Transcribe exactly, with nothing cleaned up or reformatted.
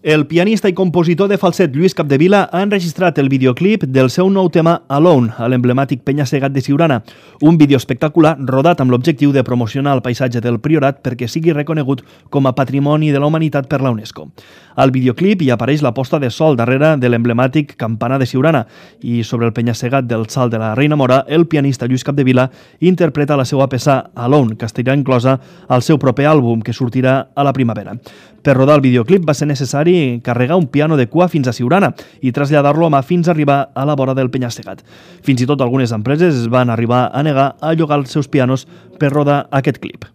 El pianista i compositor de falset Lluís Capdevila ha enregistrat el videoclip del seu nou tema Alone, a l'emblemàtic penya-segat de Siurana, un vídeo espectacular rodat amb l'objectiu de promocionar el paisatge del Priorat perquè sigui reconegut com a Patrimoni de la Humanitat per la UNESCO. Al videoclip hi apareix la posta de sol darrere de l'emblemàtic campanar de Siurana i sobre el penya-segat del Salt de la Reina Mora, el pianista Lluís Capdevila interpreta la seva peça Alone, que estarà inclosa al seu proper àlbum, que sortirà a la primavera. Per rodar el videoclip va ser necessari carregar un piano de cua fins a Siurana i traslladar-lo a mà fins a arribar a la vora del penya-segat. Fins i tot algunes empreses es van arribar a negar a llogar els seus pianos per rodar aquest clip.